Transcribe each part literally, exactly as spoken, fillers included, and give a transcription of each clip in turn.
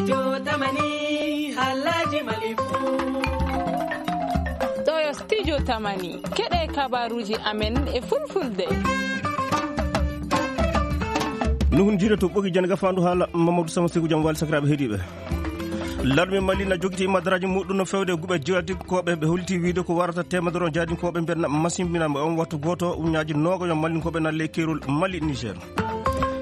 Yo tamani, halaji malifu. Ɗo yo studio tamani. Keɗe kabaruji amen e fulfulde. Nuhun jiida to ɓogi jan gafandu haala Mamadou Sama Sekou Jam Wali sakiraaɓe heɗiiɓe. Larme Mali na jogiti madaraaji muɗum no fewde guɓe jihadikooɓe ɓe holiti wiide ko warata teemedere on jaadinkooɓe mben masimbinaama on wattu gooto uñaaji nooga yo Malinkooɓe na ley keerol Mali Niger.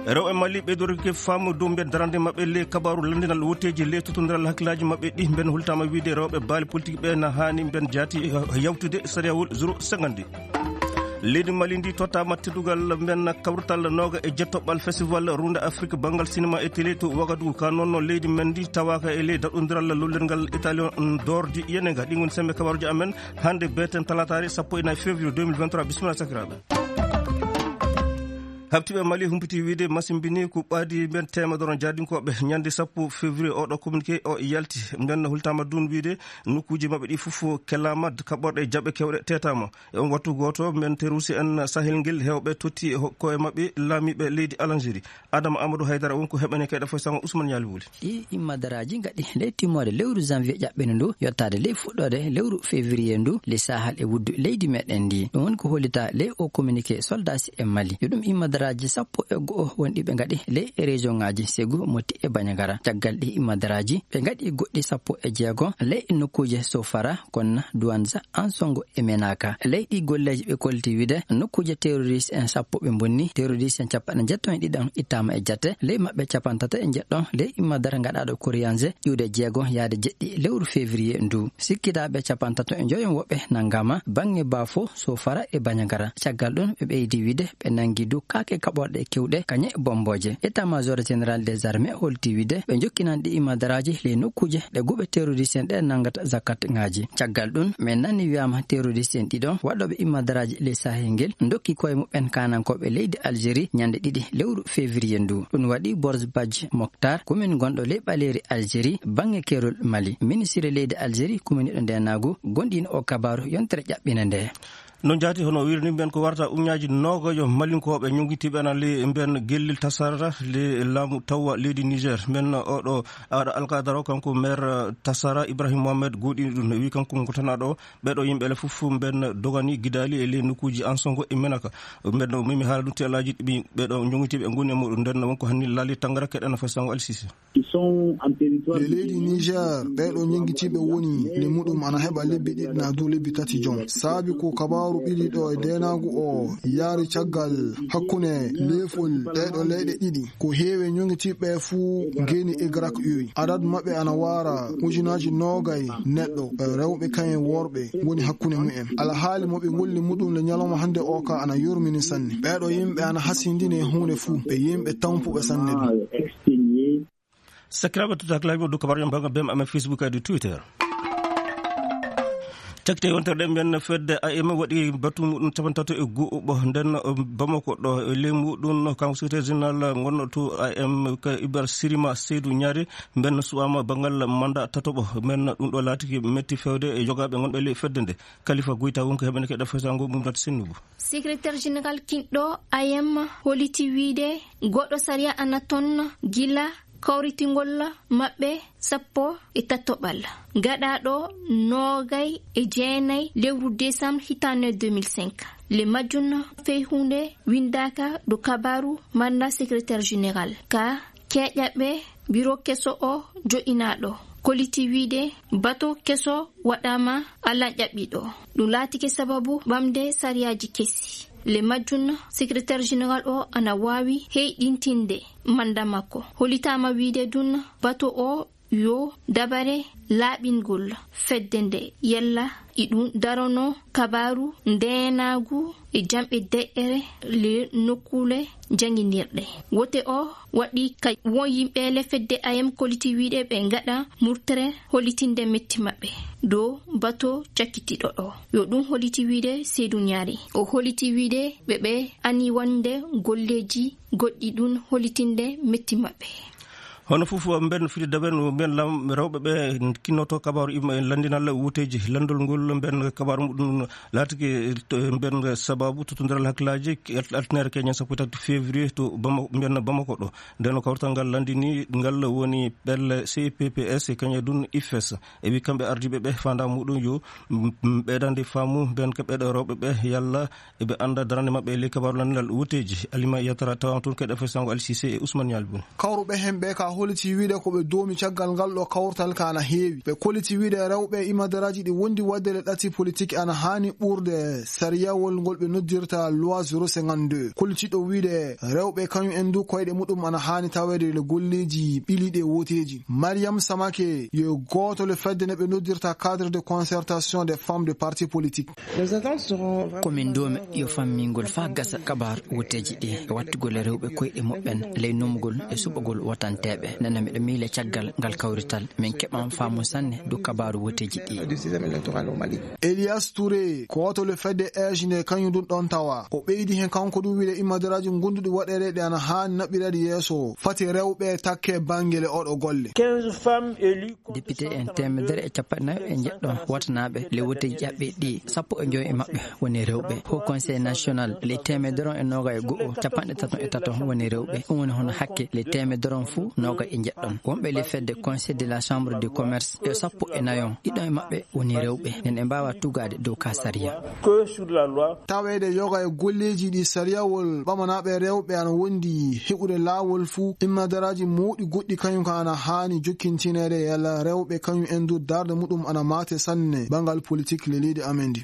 Rewɓe Mali ɓeydorike faamu dow mbiyen darande maɓɓe ley kabaaru lanndinal wotteeji ley totondiral hakkillaaji maɓɓe ɗi mben hultaama wiide rewɓe baali politique ɓe na haani mben jaati yawtude sariyawol zéro cinquante. Leydi Mali ndi tottaama teddungal mben kawrital nooga e jettoɓɓal festival runde Afrique banngal sinema e télé to Wagadugu ka noon no leydi men ndi tawaaka e ley daɗondiral lollirngal Italian dordi yenega ɗi ngoni sembe kabaruji amen hannde beten talataare sappo e nayi février deux mille vingt-trois bisimilla sakiraaɓe. Habtiiɓe Mali humpiti wiide masimbini ko ɓaadi mben teemedere jaadinkooɓe ñande sappo février oɗo communiqué o yalti mben hultaama dun wiide nokkuuji maɓɓe ɗi fof kelaama kaɓorɗe jaɓe kewɗe teetaama. E on wattu gooto mben terusi en sahel ngel heewɓe totti koye maɓɓe laamiiɓe leydi Algérie. Adama Amadou Haydara won ko heɓene kayɗe fof sango Ousmane Ñaali Wuli. Ɗi immadaraaji ngaɗi ley timmoode lewru janvier ƴaɓɓene ndu yottaade ley fuɗɗoode lewru février ndu le sahal e wuddu leydi meɗen ndi ɗum woni ko hollita ley o communiqué soldasi e Mali yo ɗum immadaraaji sappo e go'o wonɗi ɓe ngaɗi ley e région ngaji Ségou, Moti e Bandiagara. Caggal ɗi immadaraaji ɓe ngaɗi goɗɗi sappo e jeego ley nokkuuje Sofara, Konna, Douanza, Ansongo e Menaka. Ley ɗi golleeji ɓe kolti wiide nokkuuje terroriste en sappo ɓe mbonni, terroriste en capanɗe njettoo e ɗiɗon ittaama e jate, ley maɓɓe capantato e njeɗɗon ley immadara ngaɗaaɗo Koriyanze iwde jeego yaade jeɗɗi lewru février ndu. Sikkitaaɓe capantato e njoyon woɓɓe nangama bannge Bafo, Sofara e Bandiagara. Caggal ɗum ɓe ɓeydi wiide ɓe nangi du kaake kaɓorɗe kewɗe kañe bombooje. État-major général des armées holti wiide ɓe jokkinan ɗi immadaraaji ley nokkuuje ɗe guɓe terroriste en ɗe nangata zakat ngaji. Caggal ɗum men nani wiyaama terroriste en ɗiɗon waɗɗooɓe immadaraaji ley sahel ngel ndokki koye muɓɓen kaanankooɓe leydi Algérie ñande ɗiɗi lewru février ndu. Ɗum waɗi Borz Badji Mokhtar, commune gonɗo ley ɓaleeri Algérie bannge keerol Mali. Ministre leydi Algérie kuminiiɗo ndeenaagu gonɗiino o kabaaru yontere ƴaɓɓine nde. No jaati hono wirni mben ko warata uñaaji noogajo Malinkooɓe ñogitiiɓe ana ley mben gellil tasara ley laamu tawwa leydi Niger. Mben oɗo aɗa alkadaro kanko maire tasara Ibrahim Mohamed goɗini ɗum wi kanko ngo tanaɗo ɓeɗo yimɓe le fof mben dogani gidali e ley nokkuuji Ansongo e Menaka. Mben o mimi haala ɗum teelaji ɗiɓi ɓeɗo ñogitiiɓe ngoni e muɗum nden wonko hanni laali tangara keɗana fasango alsise. E leydi Niger ɓeeɗo ñenngitiiɓe woni nde muɗum ana heɓa lebbi ɗiɗi naa dow lebbi tati jom. Saabi ko kabaaru ɓili ɗo e ndeenaagu o yaari caggal hakkunde leefol ɗeeɗo leyɗe ɗiɗi. Ko heewi e ñenngitiiɓe fuu ngeeni Egrak uy. Adadu maɓɓe ana waara ujunaaji noogay neɗɗo, rewɓe kayen worɓe woni hakkunde mumen. Alhaali mo ɓe ngolli muɗum le ñalawma hannde o ka ana yurmini sanne. Ɓeeɗo yimɓe ana hasindini e huunde fuu. Ɓe yimɓe tampuɓe sanne ɗum. Sakiraaɓe tutaaki laabi o dow kabaruuji am banngal bem amen Facebook kadi Twitter. Cakite yontere ɗen mbiyen fedde A M waɗi batu muɗum capantato e go'o ɓo nden Bamako ɗo e ley muɗum kanko secrétaire général ngonno to A M ka Ibar Sirima Seydou Ñaari mben suwama banngal manda tatoɓo mben ɗum ɗo laatiki metti fewde e jogaaɓe ngonɓe ley fedde nde. Kalifa Goyta wonko heɓene keɗa fesango mum data sennugu. Secrétaire général kinɗo A M holiti wiide goɗɗo sariya ana ton gila kawritingol maɓɓe sappo e tatoɓal gaɗaaɗo noogay e jeenay lewru décembre hitaande deux mille cinq. Le majjum fey huunde windaaka ɗo kabaaru manda secrétaire général ka keeƴaɓe biro keso o jo'inaaɗo koliti wiide bato keso waɗaama alan ƴaɓɓiɗo. Ɗum laatike sababu ɓamde sariyaaji kesi. Le majjum secrétaire général o ana waawi heyɗintinde manda makko. Holitaama wiide ɗum bato o yo dabare laaɓingol fedde nde yalla iɗum darono kabaaru ndeenaagu e jamɓe deƴƴere le nokkuule jannginirɗe. Wote o waɗi ka won yimɓe le fedde A M koliti wiide ɓe ngaɗa murtere holitinde metti maɓɓe dow bato cakkitiɗo ɗo. Yo ɗum holiti wiide Seydou Ñaari. O holiti wiide ɓe ɓe ani wonde golleeji goɗɗi ɗum holitinde metti maɓɓe. Hono fof, mben firi daben, mben lam rewɓe ɓe kinnoto kabaaru ima e lanndinal wuteeji. Lanndol ngol mben kabaaru muɗum laatike to mben sababu totondiral hakkilaaji alternere keñen sappo e tati février to Bama-, mben Bamako ɗo. Nden kawtal ngal lanndini ngal woni pelle C P P S e kañum dun IFES. E wi kamɓe ardiiɓe ɓe fanda muɗum yo, m-, m-, ɓeydande faamu mben ko ɓeɗo rewɓe ɓe yalla eɓe annda darande maɓɓe e ley kabaaru lanndinal wuteeji. Alima Yatara tawa toon keɗa fay sango Alsise e Ousmane Ñalbun. Kawruɓe hen ɓe ka holiti wiide ko ɓe doomi caggal ngal ɗo kawtal ka ana heewi. Ɓe koliti wiide rewɓe imadaraaji ɗi wondi waɗde le ɗati politique ana haani ɓurde sariyawol ngol ɓe noddirta loi zéro cinquante-deux. Koliti ɗo wiide rewɓe kañum en du koyɗe muɗum ana haani taweede le golleeji ɓiliɗe woteeji. Mariam Samake yo gooto le fedde ne ɓe noddirta cadre de concertation des femmes de parti politique. Ko min doomi yo fammingol faa gasa kabaaru wuteeji ɗi e wattugol e rewɓe koyɗe muɓɓen ley numugol e suɓagol wotanteeɓe. Nana miɗo miile caggal ngal kawrital, min keɓan faamu sanne du kabaaru wuteeji ɗi. Elias Touré, ko wato le fedde age nde kañum ɗum ɗon tawa. O ɓeydi hen kanko ɗum wiide immadaraaji gonduɗi waɗereɗe ana haani naɓɓireede yeeso. Fati rewɓe takke bangel e oɗo golle. Député en teemedere e capanɗe nayo e jeɗɗo watanaaɓe le woteeji ƴaɓɓi ɗi, sappo e joy e maɓɓe woni rewɓe. Haut Conseil National le teemedere e noga e go'o, capanɗe tato e tato woni rewɓe. Ɗum woni hono hakke le teemedere fuu noga e jeɗɗon. Wonɓe le fedde Conseil de la Chambre de Commerce e sappo e nayon, ɗiɗo e maɓɓe woni rewɓe. Nden ɓe mbaawa tugaade dow ka sariya. Taweede yoga e golleeji ɗi sariyawol ɓamanaaɓe rewɓe ana wondi heɓude laawol fuu, immadaraaji mawɗi goɗɗi kañum ka ana haani jokkintineede e yalla rewɓe kañum en du darde muɗum ana maate sanne banngal politik le leydi amen ndi.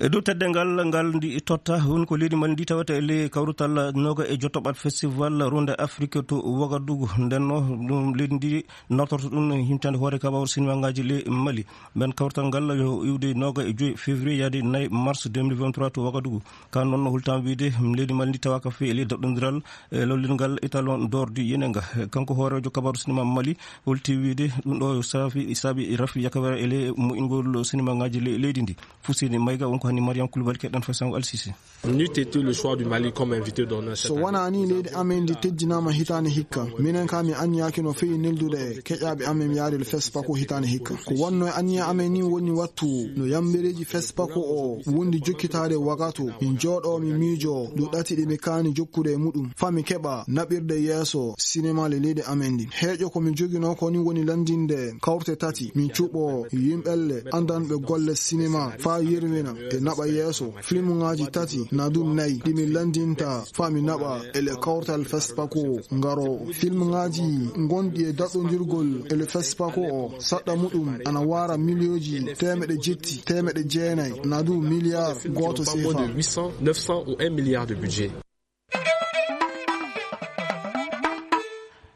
E dow teddeengal ngal ndi totta, woni ko leydi Mali ndi tawata e ley kawrutal noga e jotoɓat festival Runde Afrique to Wagadugu. Nden no ɗum leydi ndi nawtorto ɗum himtande hoore kabaaru sinimangaaji ley Mali. Mben kawrital ngal yo iwde noga e joy février yaade nayi mars deux mille vingt-trois to Wagadugu. Ka noon no hultaama wiide leydi Mali ndi tawaaka fii e ley daɗɗondiral e lollirgal Étalon d'Or du Yenenga. Kanko hooreejo kabaaru sinima Mali holti wiide ɗum ɗo saafi, saabi rafi yakawere e ley moƴƴingol sinimangaaji ley-, leydi ndi. Fuseni Mayga wonko hani Mariam Koulibaly keɗɗen fay sango Alsisi. N'eût été le choix du Mali comme invité d'honneur cette année. So wonaa ni leydi amen ndi teddinaama hitaande hikka, minen ka mi anniyaaki no feewi neldude keƴaaɓe amen yaade le FESPACO hitaande hikka. Ko wonno e anniya amen ni woni wattu no yambereeji FESPACO o wondi jokkitaade Wagato, min jooɗoo, min miijoo ɗo ɗati ɗi mi kaani jokkude e muɗum, faa mi keɓa naɓirde yeeso sinema le leydi amen ndi. Heeƴo ko mi joginoo ko ni woni lanndinde kawte tati, min cuɓoo yimɓelle anndanɓe golle sinema faa yerwina e naɓa yeeso. Filmuŋaaji tati na du nayi ɗi min lanndinta faa mi naɓa e le kawtal FESPACO ngaroowo. Filmuŋaaji gonɗi e daɗɗondirgol e le FESPACO o, saɗɗa muɗum ana waara miliyooji teemeɗe jetti, teemeɗe jeenayi, na du miliyar gooto sefa. Pas moins de huit cents, neuf cents ou un milliard de budget.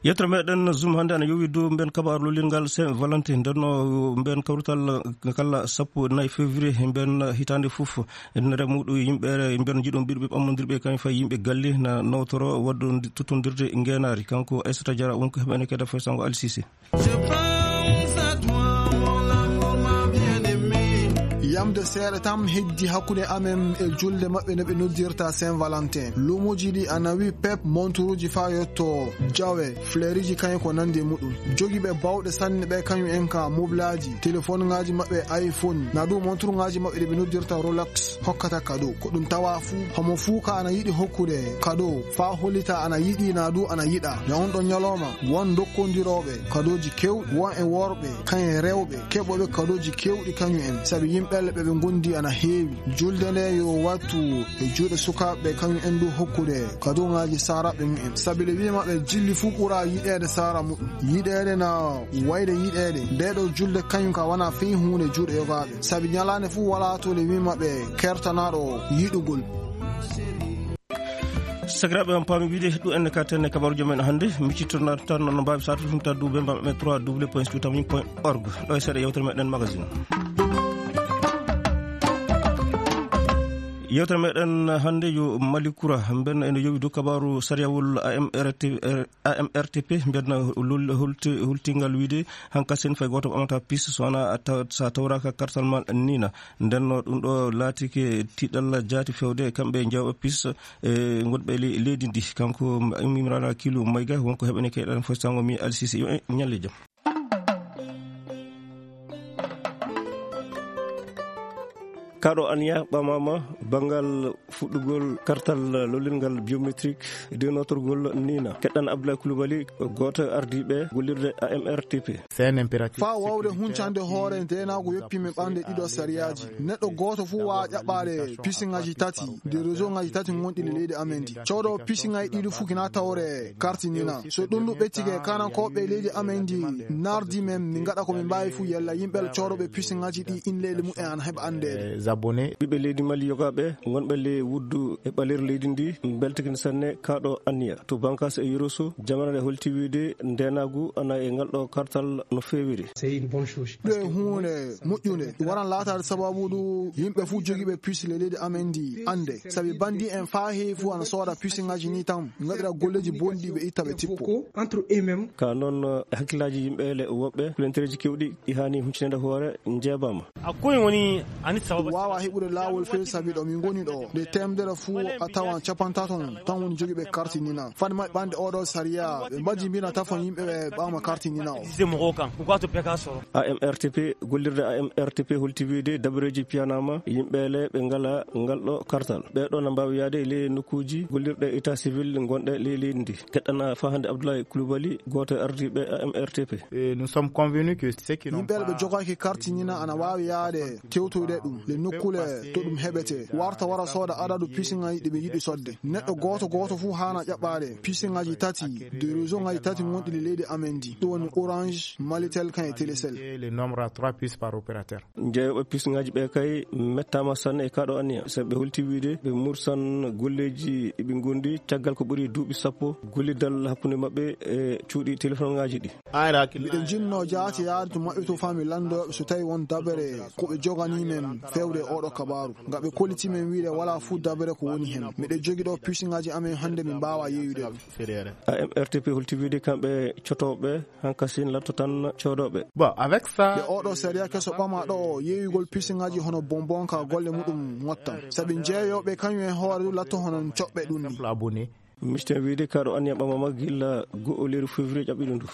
Yettere meɗen Zoom hannde ana yowi dow mben kabaaru lollirgal Saint Valentin. Nden no mben kawrital kala sappo e nayi février mben hitaande fof. Nder muɗum yimɓe mben jiɗon ɓiɗɓe ɓammondirɓe kañum fay yimɓe galle na nawtoro waɗɗo totondirde ngeenaari. Kanko Aissata Diarra wonko heɓene kadi fay sango Alsise. Yamde seeɗa tan heddi hakkunde amen e julde maɓɓe nde ɓe noddirta Saint Valentin. Luumoji ɗi ana wi pep, monturuji faa yetto jawe, fleuriji kañum ko nandi e muɗum. Jogiiɓe bawɗe sanne ɓe kañum en ka moblaaji, telefonŋaaji maɓɓe iPhone, na du monturŋaaji maɓɓe ɗi ɓe noddirta Rolex hokkata kado. Ko ɗum tawa fuu, homo fuu ka ana yiɗi hokkude kado faa hollita ana yiɗi na du ana yiɗa. E on ɗon ñalawma, won dokkondirooɓe kadooji keewɗi, won e worɓe, kañum e rewɓe, keɓooɓe kadooji keewɗi kañum en, sabi yimɓe ɓe ɓe ngondi ana heewi. Julde nde yo wattu e juuɗe sukaaɓe ɓe kañum en du hokkude kadooŋaaji saaraaɓe mumen. Sabi le wiima ɓe jilli fuu ɓura yiɗeede saara muɗum. Yiɗeede na wayde yiɗeede. Nde ɗo julde kañum ka wona fii huunde juuɗe yogaaɓe. Sabi ñalaande fuu walaa to le wiima ɓe kertanaaɗo yiɗugol. Sakiraaɓe, on paami wiide ɗum enne ka tenne kabaaruuji men hannde. Miccittoɗon tan no mbaawi saatude ɗum taddu ɓe mbaɗa ɓe trois W point studio tamim point org. Ɗo e seeɗa yewtere meɗen magazine. Yewtere meɗen hannde yo Mali Kura, mbenna ene yowi dow kabaaru sariyawol A M R T, A M R T P, mbenna lol-, holti-, holtingal wiide hankasen fay gooto ɓamata pis so wona a taw-, so a tawraaka kartal ma nina. Ndenno ɗum ɗo laatike tiɗalla jaati fewde kamɓe jawɓe pis e gonɓe le-, leydi ndi. Kanko Imrana Kilu Mayga wonko heɓene keyɗen fostango mi Alsisi. Yo en ñalle jam. Kaɗo aniya ɓamama bangal fuɗɗugol kartal lollirngal biométrique de notorgol nina. Keɗɗan Abdoulaye Koulibaly, gooto ardiiɓe gollirde A M R T P. C'est un impératif. Faa wawde huncande hoore ndeenaagu yoppi men ɓamde ɗiɗo sariyaaji. Neɗɗo gooto fuu waawa ƴaɓɓaade pisiŋaaji tati de réseau ŋaaji tati gonɗi le leydi amen ndi. Coodo pisiŋaaji ɗiɗi fuu kina tawre karti nina. So ɗum ɗum ɓettike, kanankooɓe leydi amen ndi nardi men, min ngaɗa ko min mbaawi fuu yalla yimɓe coodoɓe pisiŋaaji ɗi inleeli mumen ana heɓa anndeede. Ɓiɓɓe leydi Mali yogaaɓe wonɓe le wuddu e ɓaleeri leydi ndi mbeltikin sanne kaɗo anniya. To Bankas e Yoroso, jamanaade holti wiide ndeenaagu ana e ngal ɗo kartal no feewiri. Ɗo e huunde moƴƴunde, waran laataade sababu ndu yimɓe fuu jogiiɓe pis le leydi amen ndi annde. Sabi bandi en faa heewi fuu ana sooda pisiŋaaji ni tan, ngaɗira golleeji bonɗi ɓe itta ɓe tippo. Ka noon, eh, hakkillaaji yimɓe le woɓɓe, kulentereeji kewɗi ɗi haani huccineede hoore njeebaama. A koye woni ani sababa. Waawa heɓude laawol feere sabi ɗo min ngoni ɗo. Nde teemedere fuu a tawan capantato tan woni jogiiɓe karti nina. Fade maɓɓe ɓande oɗo sariya, ɓe mbaji mbina tafon yimɓe ɓe ɓama karti nina o. Sise mɔgɔw kan, u k'a to bɛɛ k'a sɔrɔ. A M R T P, gollirde A M R T P holti wiide dabareeji piyanama yimɓe le ɓe ngala ngal ɗo kartal. Ɓe ɗo na mbaawi yaade e ley nokkuuji gollirɗe état civil gonɗe ley leydi ndi. Keɗɗana faa hannde Abdoulaye Koulibaly, gooto e ardiiɓe A M R T P. Et nous sommes convenus que ceux qui n'ont Yimɓe ɓe pas jogaaki karti nina ana waawi yaade tewtoyde ɗum le nokkule to ɗum heɓete. Warta wara sooda adadu pisiŋaaji ɗi ɓe yiɗi sodde. Neɗɗo gooto gooto fuu haana ƴaɓɓaade pisiŋaaji tati de réseau ŋaaji tati gonɗi le leydi amen ndi. Ɗum woni Orange, Malitel kan e Telecel. Le nombre à trois puces par opérateur. Jeeyooɓe pisiŋaaji ɓe kay mettaama sanne e kaɗo anniya. Sabi ɓe holti wiide ɓe mursan golleeji ɗi ɓe ngondi caggal ko ɓuri duuɓi sappo gollidal hakkunde maɓɓe e cuuɗi telefonŋaaji ɗi. Miɗo jinno jaati yaade to maɓɓe to fami lanndooɓe so tawi won dabere ko ɓe jogani men fewde e oɗo kabaaru. Nga ɓe kolliti men wiide wala fuu dabere ko woni hen. Miɗo jogi ɗo pisiŋaaji amen hannde min mbaawa yeeyude ɗum. A M R T P holti wiide kamɓe cotooɓe hankasin latto tan coodooɓe. Bon, avec ça, Nde oɗo sariya keso ɓama ɗo yeeyugol pisiŋaaji hono bonbon ka golle muɗum motta. Sabi jeeyooɓe kañum e hoore du latto hono coɓɓe ɗum ni. Simple abonné. Misten wiide kaɗo anniya ɓamama gilla go'o lewru février ƴaɓɓiɗo ndu.